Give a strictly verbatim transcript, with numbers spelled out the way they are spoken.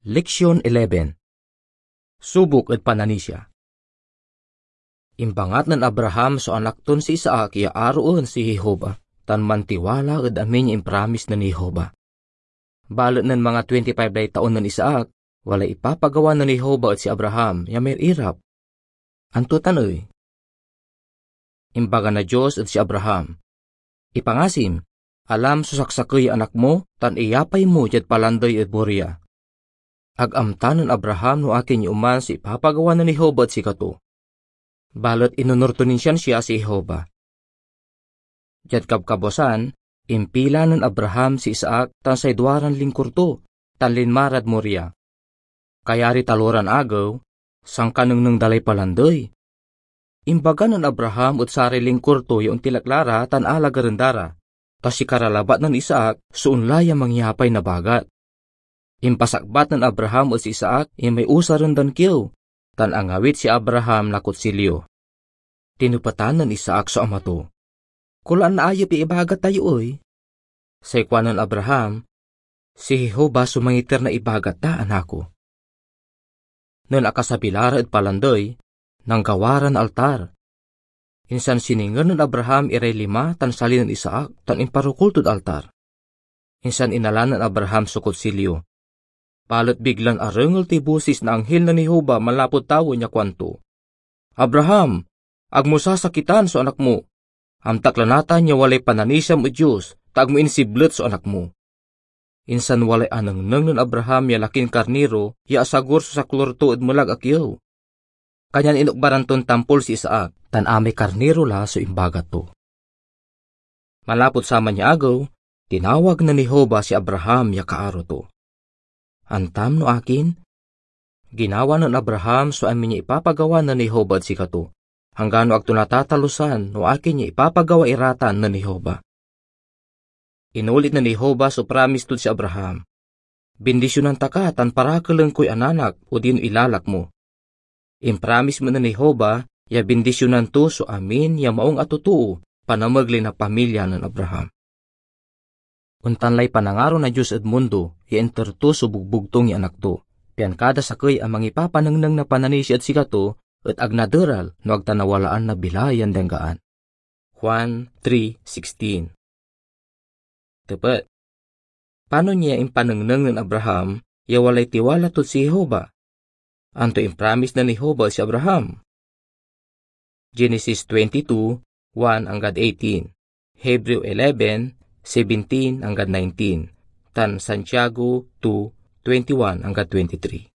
Leksyon eleven. Subok ed pananisia. Imbangat nen Abraham so anak ton si Isaac ya aroen si Jehovah, tan mantiwala ed amin ya impramis nen Jehovah. Balet nen manga twenty-five lay taon nen Isaac, walay ipapagawa nen Jehovah ed si Abraham ya may irap. Anto tan ey? Imbaga na Dios ed si Abraham, "Ipangasim, alam so saksakey ya anak mo, tan iyapay mo diad palandey ed Moriah. Ag amta nen Abraham no akin ya oman so ipapagawa nen Jehovah ed sikato. Balet inonur to nin siansia si Jehovah." Diad kabkabuasan, impila nen Abraham si Isaac tan say duaran lingkor to, tan linma rad Moriah. Kayari taloran agew, sankanengneng da lay palandey. Imbaga nen Abraham ed saray lingkor to ya ontilak la ra tan alagaren da ra, ta sikara labat nen Isaac so onla ya mangyapay na bagat. Impasakbat nen Abraham ed si Isaac imay usaren dan kiew, tan angawit si Abraham na kutsilyo. Tinepetan nen Isaac so ama to, "Kulaan naayep ya ibagat tayo ey?" Say kuanen Abraham, "Si Jehovah so mangiter na ibagat da, anak ko." Nen akasabi la ra ed palandey, nanggawa ran altar. Insan sininger nen Abraham iray lima tan sali nen Isaac tan imparokol tod altar. Insan inala nen Abraham so kutsilyo. Balet biglan arengel toy bosis na anghil nen Jehovah manlapud tawen ya kuanto, "Abraham, ag mo sasakitan so anak mo. Amtak la natan ya walay pananisiam ed Dios, ta ag mo insiblet so anak mo." Insan walay anengneng nen Abraham ya lakin karniro ya asagur so saklor to ed melag a kiew. Kanyan inokbaran ton tampol si Isaac, tan amay karniro la so imbagat to. Manlapud saman ya agew, tinawag nen Jehovah si Abraham ya kaaro to. Antam no akin? Ginawa nen Abraham so amin ya ipapagawa nen Jehovah ed sikato, anggano ag to natatalusan no akin ya ipapagawa ira tan nen Jehovah. Inulit nen Jehovah so pramis tod si Abraham, "Bindisionan ta ka tan parakelen koy ananak odino ilalak mo." Impramis met nen Jehovah ya bindisionan to so amin ya maung a totoo, panamegley na pamilya nen Abraham. Ontan lay panangaro na Dios ed mundo ya inter to so bugbugtong ya Anak to, pian kada sakey a mangipapanengneng na pananisia ed sikato et ag naderal no ag ta nawalaan na bilay yan dianggaan. Juan three sixteen. Tepet. Panon ya impanengneng nen Abraham ya walay tiwala tod si Jehovah? Anto impramis nen Jehovah ed si Abraham? Genesis twenty-two, one anggad eighteen, Hebreo eleven, seventeen anggad nineteen, tan Santiago two, twenty-one anggad twenty-three.